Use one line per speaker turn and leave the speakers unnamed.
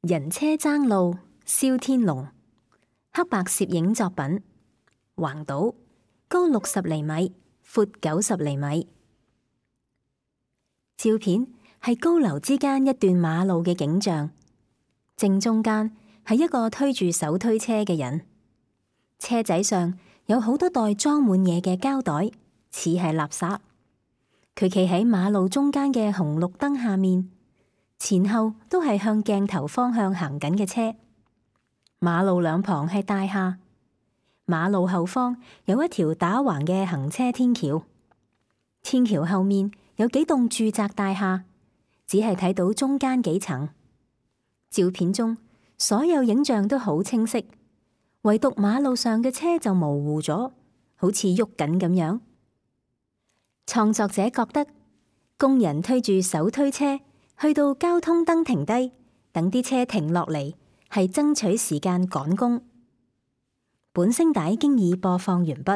人車爭路，蕭天龍。黑白攝影作品，橫島，高60厘米，闊90厘米。照片係高樓之間一段馬路嘅景象，正中間係一個推住手推車嘅人，車仔上有好多袋裝滿嘢嘅膠袋，似係垃圾。佢企喺馬路中間嘅紅綠燈下面，前後都係向鏡頭方向行緊嘅車。馬路兩旁係大廈，馬路後方有一條打橫嘅行車天橋，天橋後面有幾棟住宅大廈，只係睇到中間幾層。照片中所有影像都好清晰，唯獨馬路上嘅車就模糊咗，好似喐緊咁樣。創作者覺得工人推住手推車去到交通燈停低，等啲車停落嚟，係爭取時間趕工。本聲帶經已播放完畢。